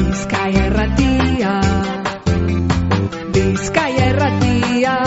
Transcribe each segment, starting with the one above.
Bizkaia Irratia, Bizkaia Irratia.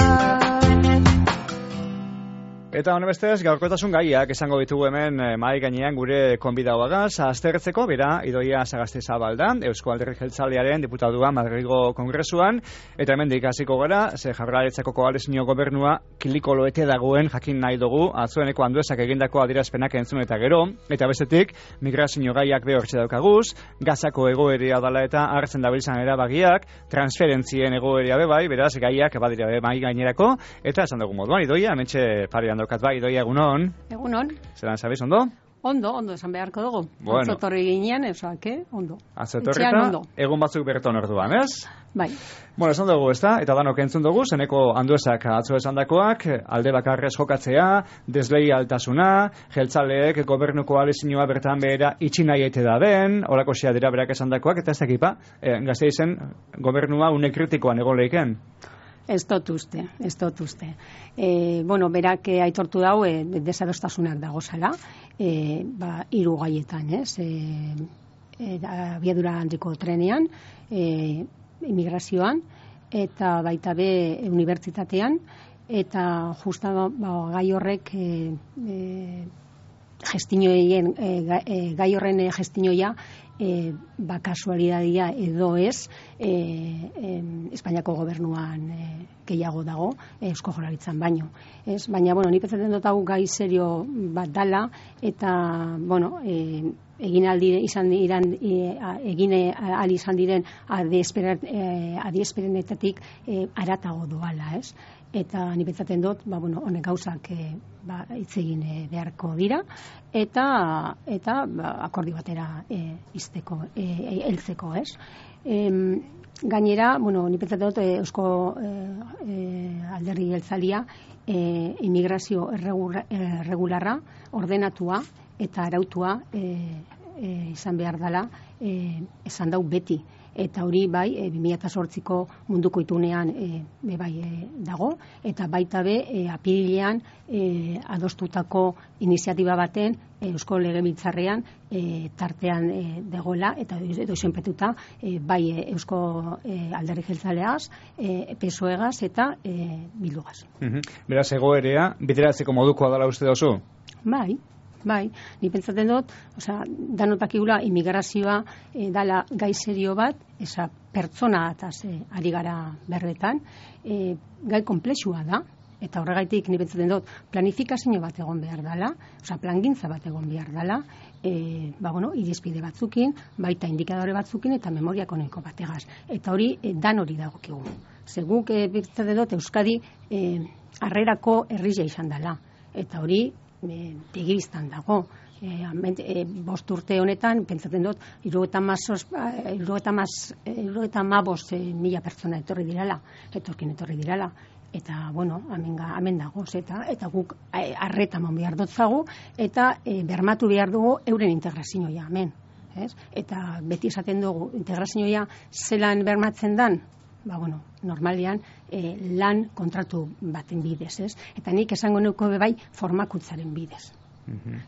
Eta honebestez, gaurkotasun gaiak esango ditugu hemen mahai gainean gure konbidauagaz, aztertzeko, bera, Idoia Sagastizabal da, Eusko Alderdi Jeltzalearen diputadua Madrilgo Kongresuan, eta hemen hasiko gara, ze Jaurlaritzako koalizio gobernua kilikoloete dagoen jakin nahi dugu, atzueneko Anduezak egindako adierazpenak entzun eta gero, eta bestetik, migrazio gaiak behortxe daukaguz, Gazako egoeria dala eta hartzen dabiltzan erabagiak, transferentzien egoeria bebai, beraz, gaiak badira mahai gainerako, eta esan dugu moduan, Idoia, hementxe parean daukat bai, Idoia, egunon. Egunon. Zeran, sabez, ondo? Ondo, esan beharko dugu. Bueno. Atzotorri ginean, ondo. Atzotorri eta egun batzuk berton orduan, ez? Bai. Bueno, esan dugu, ezta? Eta danok entzun dugu, zeneko Anduezak atzo esandakoak, alde bakarrez jokatzea, desleialtasuna, jeltzaleek gobernu koalizioa bertan behera itxi nahi ete da den, horako xea dira berak esandakoak, eta ez dakipa, Gasteizen gobernua une kritikoan egon leiken. Ez dut uste. Berak aitortu dau, desadostasunak dagozala, hiru gaietan, ez? Abiadura handiko trenean, immigrazioan, eta baita be unibertsitatean, eta justa gai horrek gai horren gestinoia kasualidadia edo ez Espainiako gobernuan gehiago dago Eusko Jaurlaritzan baino. Baina, ni pentsatzen dut hau gai serio bat dala, eta, egin ahal izan diren adiesperenetatik haratago doala, ez? Eta ni pentsatzen dut, honek gauzak hitz egin beharko dira, eta akordio batera heltzeko, ez? Gainera, ni pentsatzen dut Eusko Alderdi Jeltzalea immigrazio erregularra, ordenatua eta arautua izan behar dela esan dau beti. Eta hori bai, 2008ko munduko itunean dago, eta baita be apirilean adostutako iniziatiba baten Eusko Legebiltzarrean tartean dagoela, eta doizenpetuta bai Eusko Alderdi Jeltzaleaz, PSOEgaz eta Bildugaz. Beraz, egoerea, bideratzeko modukoa dela uste dozu? Bai, ni pentsatzen dut, danotakigula immigrazioa dala gai serio bat, pertsona ataz ari gara berbetan, gai komplexua da, eta horregaitik ni pentsatzen dut planifikazio bat egon behar dela, plangintza bat egon behar dela, irizpide batzukin, baita indikadore batzukin eta memoria ekonomiko bategaz. Eta hori dan hori dagokigu. Guk pentsatzen dut Euskadi harrerako herria izan dela, eta hori begibiztan dago. 5 urte honetan, pentsatzen dut, 75.000 pertsona etorri dirala, eta, hemen dago, eta guk arreta mon behar dutzagu, eta bermatu behar dugu euren integrazioa, hemen. Eta beti esaten dugu, integrazioa zelan bermatzen dan, normalean lan kontratu baten bidez, ez? Eta nik esango nuko bai formakuntzaren bidez.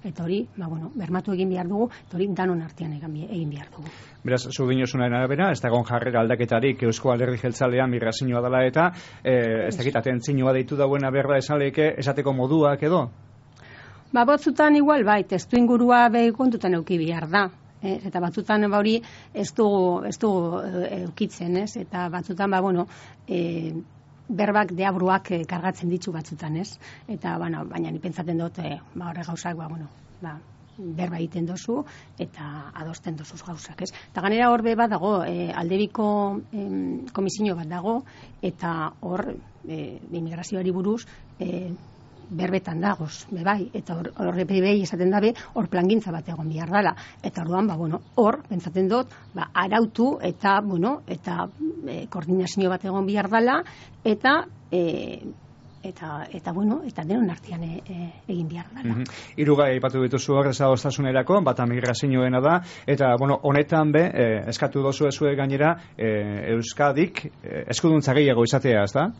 Eta hori, bermatu egin behar dugu, eta hori danon artean egin behar dugu. Beraz, zu dinosunaren arabera, ez dagoen jarrera aldaketarik Eusko Alderdi Jeltzalean migrazioa dela eta ez dakit atentzioa deitu dauena berda esan lehike esateko moduak edo? Batzutan igual bai, testu ingurua kontutan euki behar da. Eta batzutan hori ez dugu eukitzen, ez? Eta batzutan berbak deabruak kargatzen ditu batzutan, ez? Eta baina ni pentsatzen dut horre gauzak berba egiten dozu eta adosten dozuz gauzak, ez? Eta ganera hor bat dago, aldebiko komisio bat dago, eta hor immigrazioari buruz berbetan dagoz, bai, eta horre behi esaten dabe, hor plangintza bat egon behar dela, eta orduan, hor, pentsaten dut, arautu, eta, eta koordinazio bat egon behar dela, eta denon artean egin behar dela. Hirugai aipatu dituzu hor desadostasunerako, bata migrazioena da, eta, honetan eskatu dozu ezue gainera, Euskadik eskuduntza gehiago izatea, ez da?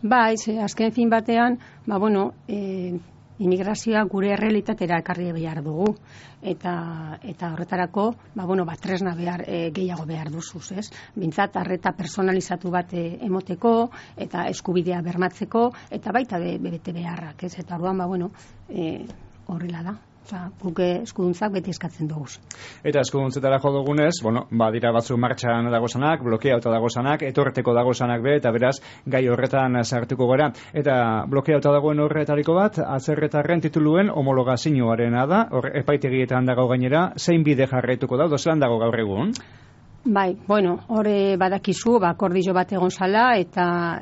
Bai, azken fin batean, immigrazioa gure errealitatera ekarri behar dugu eta horretarako tresna gehiago behar duzuz, ez? Bintzat arreta personalizatu bat emoteko eta eskubidea bermatzeko eta baita bete beharrak, ez? Eta orduan horrela da. Guk eskuduntzak beti eskatzen dugu. Eta eskuduntzetara jo dugunez, dira batzuk martxan dagozanak, blokeauta dagozanak, etorreteko dagozanak eta beraz, gai horretan sartuko gara. Eta blokeauta dagoen horretariko bat, atzerretarren tituluen homologazioarena da, epaitegietan dago gainera, zein bide jarraituko da, dozelan dago gaur egun? Bai, hor badakizu, akordio bat egon zala, eta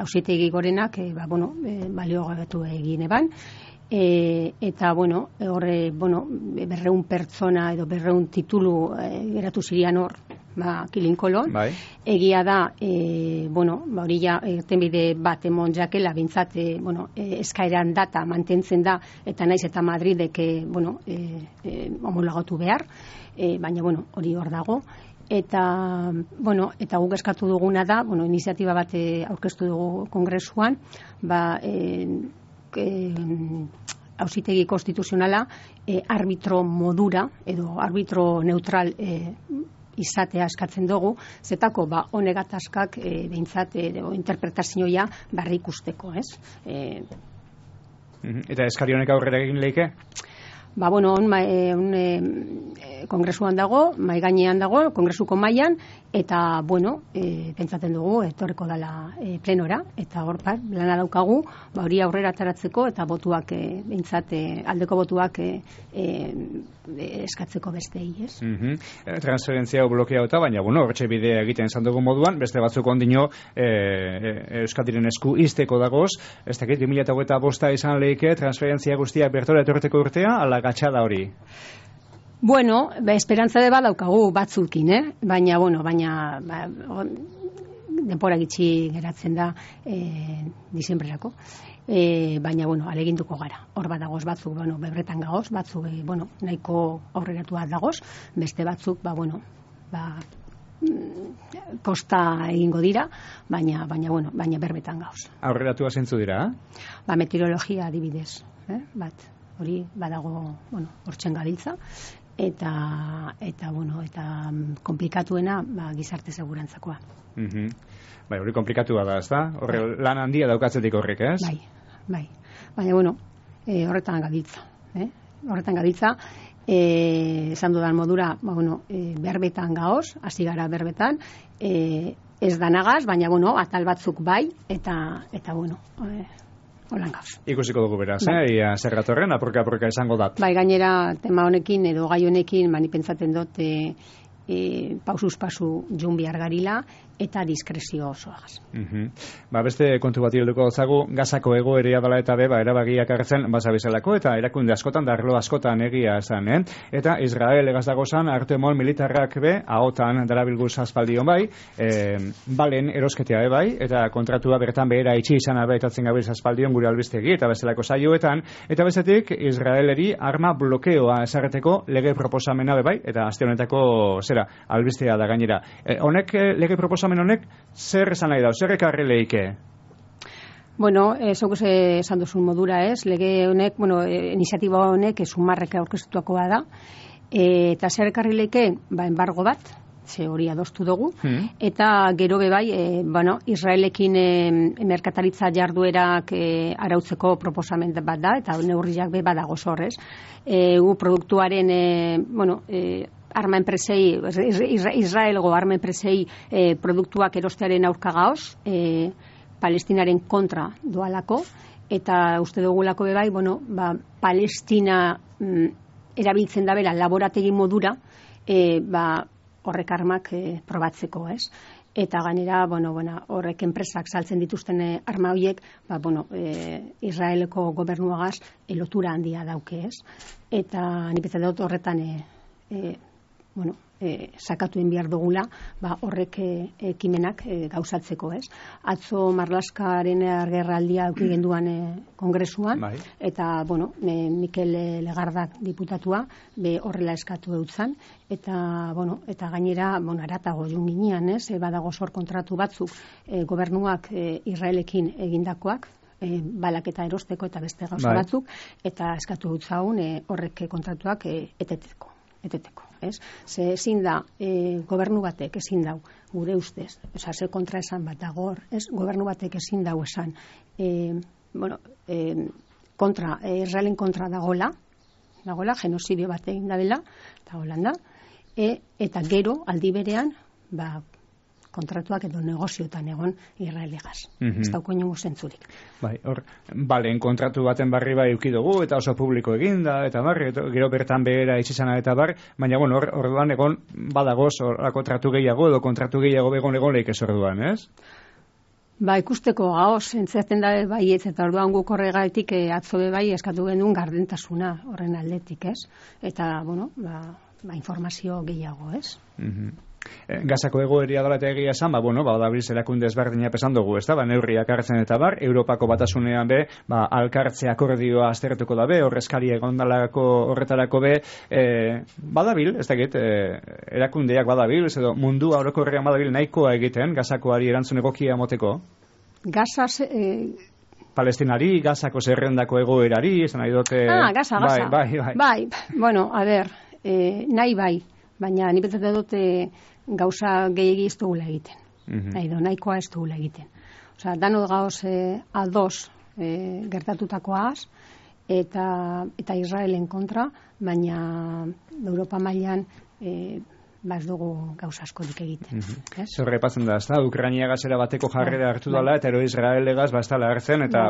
auzitegi gorenak, baliogabatu egin eban, eta horre 200 pertsona edo 200 titulu geratu zirian hor kilinkolon. Bai. Egia da hori ja irtenbide bat emon jakela bintzat eskaeran data mantentzen da eta naiz eta Madridek homologatu behar, baina hori hor dago. Eta guk eskatu duguna da, iniziatiba bat aurkeztu dugu kongresuan, auzitegi konstituzionala arbitro modura edo arbitro neutral izatea eskatzen dugu, zetako honegatazkak behintzat interpretazioa barri ikusteko, ez? Eta eskari honek aurrera egin leike? Kongresuan dago, mai gainean dago, kongresuko mailan, eta pentsatzen dugu etorriko dela plenora, eta hor lana daukagu, hori aurrera ataratzeko eta botuak behintzat aldeko botuak eskatzeko bestei, ez? Transferentzia blokeauta, baina hortxe bidea egiten izan dugu moduan, beste batzuk ondino Euskadiren esku izteko dagoz, ez dakit 2025 izan leike transferentzia guztiak bertora etorreteko urtea, ala gatxada hori? Esperantza de badaukagu batzukin, baina denpora gitxi geratzen da disembrerako. Baina, aleginduko gara. Hor bat dagoz batzuk, bebretan gagoz, batzuk, nahiko aurreratua dagoz, beste batzuk, kosta egingo dira, baina berbetan gagoz. Aurreratua zeintzu dira? Meteorologia adibidez, hori badago, hortzen gabiltza, eta komplikatuena gizarte segurantzakoa. Hori komplikatua da, ez da? Lan handia daukatzetik horrek, ez? Bai. Baina, horretan gabiltza. Horretan gabiltza, esan dudan modura, berbetan gaoz, hasi gara berbetan, ez danagaz, baina, atal batzuk bai, eta holan gauz. Ikusiko dugu beraz, ia zerratorren, apurka esango dat. Bai, gainera, tema honekin edo gai honekin, mani pentsaten dut, pausuz pasu jun behar garila, eta diskrezio osoagaz. Beste kontu bat hilduko zagu, gazako egoerea dela eta erabagiak hartzen bazabizelako, eta erakunde askotan, darlo askotan egia esan, eta Israel egaz dagozan, artemol militarrak ahotan darabilguz aspaldion bai, balen erosketea bai, eta kontratua bertan behera itxi izan etatzen gabiz aspaldion gure albistegi, eta bezalako saioetan, eta bezetik Israeleri arma blokeoa esarreteko lege proposamena bai, eta aste honetako albistea da gainera. Honek, lege proposamena honek, zer esan nahi da, zer ekarri leike? Zok esan duzun modura ez, lege honek, iniziatiba honek sumarrek aurkeztuakoa da, eta zer ekarri leike, embargo bat, ze hori adostu dugu, eta gero bai, Israelekin merkataritza jarduerak arautzeko proposamen bat da, eta neurriak badago zorrez. Produktuaren, arma enpresei, Israelgo arma enpresei produktuak erostearen aurka gaoz, Palestinaren kontra doalako, eta uste dugulako bai, Palestina erabiltzen dabela laborategi modura, horrek armak probatzeko, ez? Eta gainera, horrek enpresak saltzen dituzten arma horiek, Israeleko gobernuagaz lotura handia dauke, ez? Eta nipetzen dut horretan sakatuen behar dugula, horrek ekimenak gauzatzeko, ez? Atzo Marlaskaren agerraldia eduki genduan kongresuan, eta, Mikel Legardak diputatua, horrela eskatu eutzan, eta gainera, aratago jun ginean, ez? Badago zor kontratu batzuk gobernuak Israelekin egindakoak, balak eta erosteko eta beste gauza batzuk, eta eskatu dut zaun horrek kontratuak eteteko, ez? Ze ezin da, gobernu batek ezin dau, gure ustez, ze kontra esan bat dago, ez? Gobernu batek ezin dau esan, Israelen kontra dagola, genozidio bat egin da dela, eta Holanda, eta gero, aldi berean, kontratuak edo negozioetan egon Israelegaz. Ez dauko inongo zentzurik. Balen kontratu baten barri bai euki dugu, eta oso publiko eginda, eta barri, gero bertan behera itxizana eta bar, baina orduan egon badagoz orako tratu gehiago edo kontratu gehiago egon leik ez orduan, ez? Ikusteko gaoz, entzaten da baietz, eta orduan guk horregatik atzo bai eskatu genuen gardentasuna horren aldetik, ez? Eta, informazio gehiago, ez? Gazako egoeria dela eta egia esan, dabilz erakunde ezberdina pesan dugu, ez da, neurriak hartzen eta bar, Europako batasunean be, alkartze akordioa aztertuko da be, horrezkari egondalako horretarako be, badabil, ez dakit, erakundeak badabil, edo mundua orokorrean badabil nahikoa egiten, Gazakoari erantzun egokia moteko? Gazaz... Palestinari, Gazako zerrendako egoerari, esan nahi dute... Gaza. Bai, nahi bai, baina ni pentsatzen dute gauza gehiegi ez dugula egiten. Nahikoa ez dugula egiten. Dano gauz ados gertatutakoaz eta Israelen kontra, baina Europa mailan ez dugu gauza askorik egiten. Zorre patzen da, ez da, Ukrainia gazera bateko jarrera hartu dela, eta ero Israelegaz bastala hartzen, eta,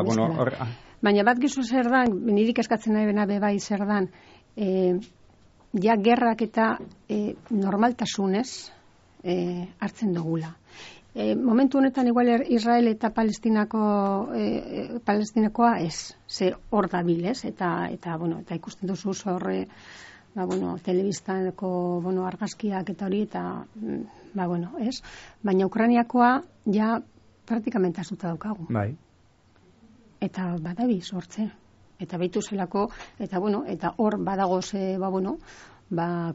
Baina bat gizu zer dan, nirik eskatzen nahi bena bebai zer dan, gerrak eta normaltasunez hartzen dugula. Momentu honetan igual Israel eta Palestinakoa ez, ze hor dabil, ez? Eta ikusten duzu horre, telebistako argazkiak eta hori, eta ez? Baina Ukrainiakoa ja praktikamente azuta daukagu. Bai. Eta badabiz hortzen. Eta behitu zelako, eta hor badagoz,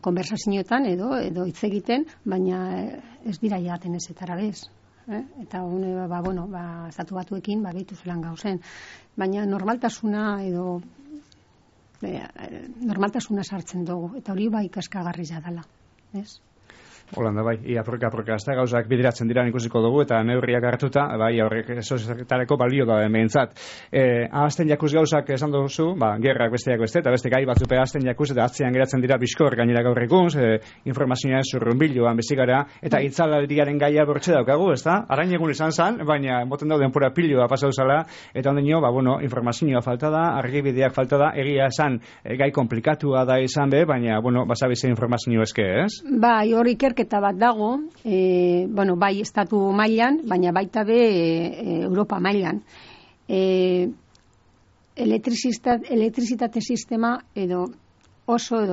konversazioetan edo hitz egiten, baina ez dira jaten ezetara bez. Eta estatu batuekin behitu zelan gauzen. Baina normaltasuna edo normaltasuna sartzen dugu, eta hori bai kaskagarria dela, ez? Holanda, bai, apurka, ez da gauzak bideratzen dira ikusiko dugu, eta neurriak hartuta, bai, horrek sozietatareko balio da behintzat. Ahazten jakuz gauzak esan duzu, gerrak besteak beste, eta beste gai batzupe ahazten jakuz, eta atzean geratzen dira bizkor gainera gaur egun, informazioa zurrunbiloan bezigara, eta itzalaldiaren gaia bortxe daukagu, ez da? Arain egun izan zen, baina moten dauden pura piloa pasau zala, eta ondino, informazioa falta da, argibideak falta da, egia esan gai komplikatua da izan be, baina, basabize informazio eske, ez? Bai, hori eta bat dago, bai estatu mailan, baina baita be Europa mailan. Elektrizitate sistema edo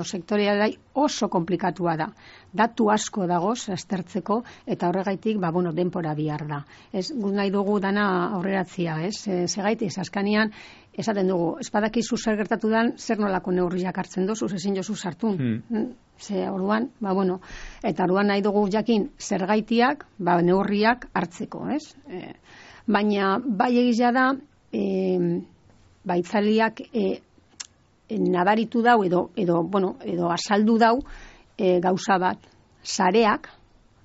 sektorialai oso komplikatua da. Datu asko dagoz aztertzeko, eta horregaitik, denpora bihar da. Gu nahi dugu dana aurreratzia, ez? Segaitik, askanian, esaten dugu, espadakizu zer gertatu dan, zer nolako neurriak hartzen dozu, ezin jozu sartun. Orduan, eta orduan nahi dugu jakin zergaitiak, neurriak hartzeko, ez? Baina, bai egizia da, itzaliak nabaritu dau edo asaldu dau gauza bat, sareak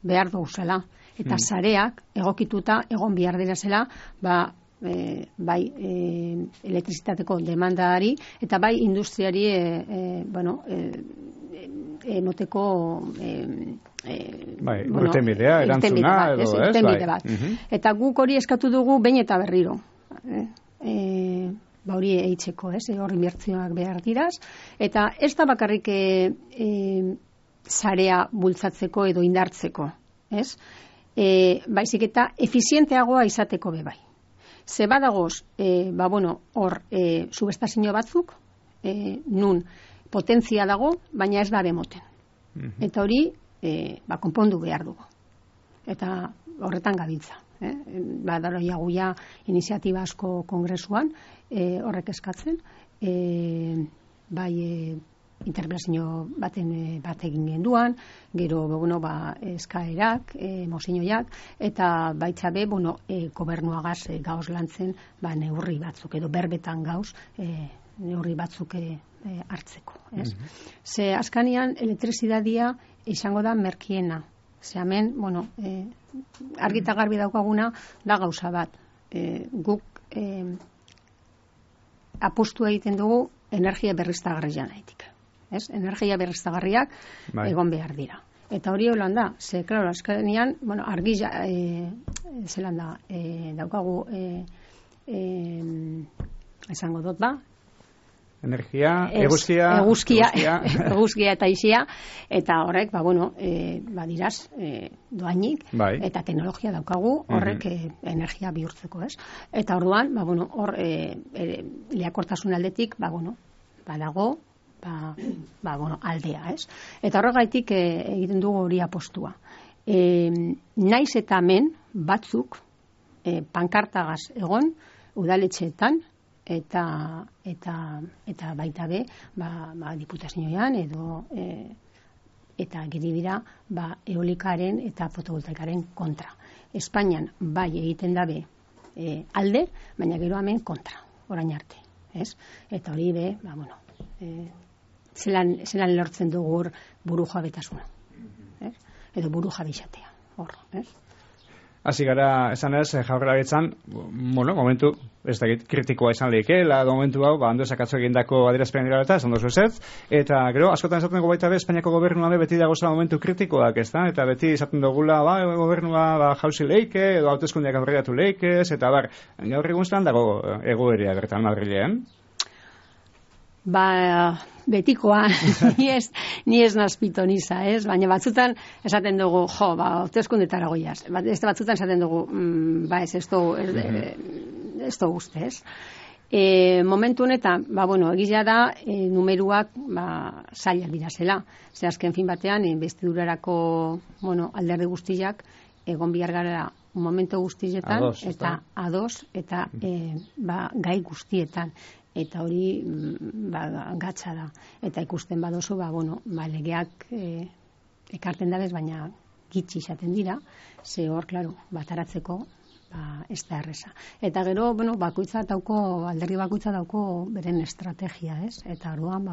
behar duguzela, eta sareak egokituta egon behar dira zela, bai elektrizitateko demandari, eta bai industriari emoteko urtenbidea, erantzuna edo, ez? Urtenbide bat. Eta guk hori eskatu dugu behin eta berriro. Hori eitzeko, hori inbertsioak behar diraz, eta ez da bakarrik sarea bultzatzeko edo indartzeko, ez? Baizik eta efizienteagoa izateko bebai. Ze badagoz, hor subestazio batzuk, nun potentzia dago, baina ez da bemoten. Eta hori, konpondu behar dugu. Eta horretan gabiltza. Badaroia guia iniziatiba asko kongresuan, horrek eskatzen, bai interpelazio bat egin genduan, gero eskaerak, mozioak, eta baitza be, gobernuagaz gauz lantzen neurri batzuk, edo berbetan gauz neurri batzuk hartzeko. Ze askanian elektrizidadia izango da merkiena. Ze hemen, argita garbi daukaguna da gauza bat. Guk apostu egiten dugu energia berriztagarrian aitik. Energia berriztagarriak egon behar dira. Eta hori holan da, ze, klaro, askanian, argi zelan da, daukagu esango dut ba, energia, eguzkia eta isia, eta horrek, diraz, doainik, eta teknologia daukagu, horrek energia bihurtzeko, ez? Eta orduan, hor, lehiakortasun aldetik, badago, aldea, ez? Eta horregaitik egiten dugu hori apostua. Naiz eta hemen batzuk pankartagaz egon, udaletxeetan, eta baita be, diputazioan edo eta geri dira eolikaren eta fotovoltaikaren kontra. Espainian bai egiten dabe alde, baina gero hemen kontra, orain arte, ez? Eta hori be, zelan lortzen dugu buru jabetasuna, edo buru jabixatea, hor, ez? Hasi gara, esan ez, jaurlaritzan, momentu, ez da kritikoa izan leikeela, momentu hau, hando esakatzo egindako adierazpen dira eta, esan dozu ez, eta gero, askotan esaten dugu baita be, Espainiako gobernua beti dagoza momentu kritikoak, ez da, eta beti esaten dugula, gobernua jauzi leike, edo hauteskundeak aurreratu leikez, eta gaur egun zelan dago egoerea bertan Madrilean? Betikoa, ni ez nazpito niza, ez? Baina batzutan esaten dugu, hauteskundetara goiaz. Batzutan esaten dugu, ez dugu uste, ez? Momentu honetan, egizia da, numeruak zailak dira zela. Ze azken fin batean, bestidurarako alderdi guztiak, egon bihar gara momentu guztietan, eta ados, eta gai guztietan. Eta hori gatza da. Eta ikusten badozu, legeak ekarten dabez, baina gitxi izaten dira, ze hor, klaro, bataratzeko ez da erreza. Eta gero, alderdi bakoitza dauko beren estrategia, ez? Eta orduan,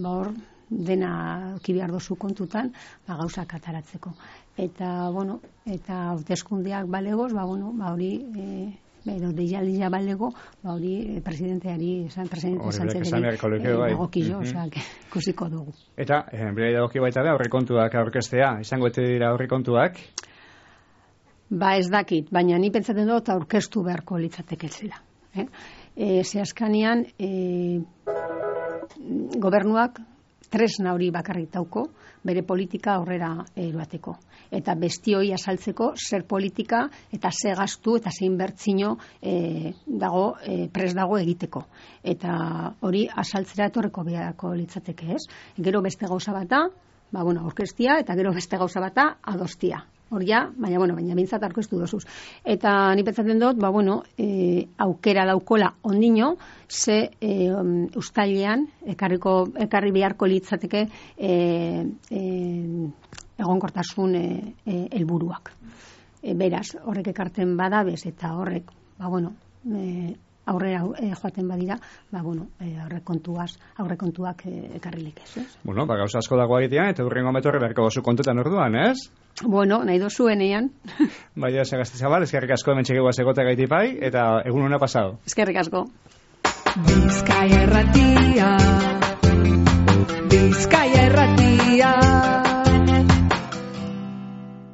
hor, dena kibiar dozu kontutan, gauzak ataratzeko. Eta, hauteskundeak balegoz, hori, edo deialdia balego, hori presidenteari esan egokio, ikusiko dugu. Eta, bera dagoki baita da, aurrekontuak aurkeztea, izango ete dira aurrekontuak? Ez dakit, baina ni pentsaten dut aurkeztu beharko litzateke zela. Ze askanian, gobernuak tresna hori bakarrik dauko, bere politika aurrera eroateko. Eta bestioi azaltzeko zer politika eta ze gastu eta ze inbertsio pres dago egiteko. Eta hori azaltzera etorreko beharko litzateke, ez? Gero beste gauza bata, aurkeztia, eta gero beste gauza bata adostia. Horia, baina bintzat aurkeztu dozuz. Eta ni pentsatzen dut, aukera daukola ondino, ze uztailean, ekarri beharko litzateke egonkortasun helburuak. Beraz, horrek ekarten badabez, eta horrek, aurrera joaten badira, aurrekontuak ekarrilik ez. Gauza asko dago egitean, eta hurrengo metorre beharko dozu kontutan orduan, ez? Nahi dozuenean. Baina, Sagastizabal, eskerrik asko hemen txegegoaz egota gaitipai, eta egun hona pasado. Eskerrik asko. Bizkaia Erratia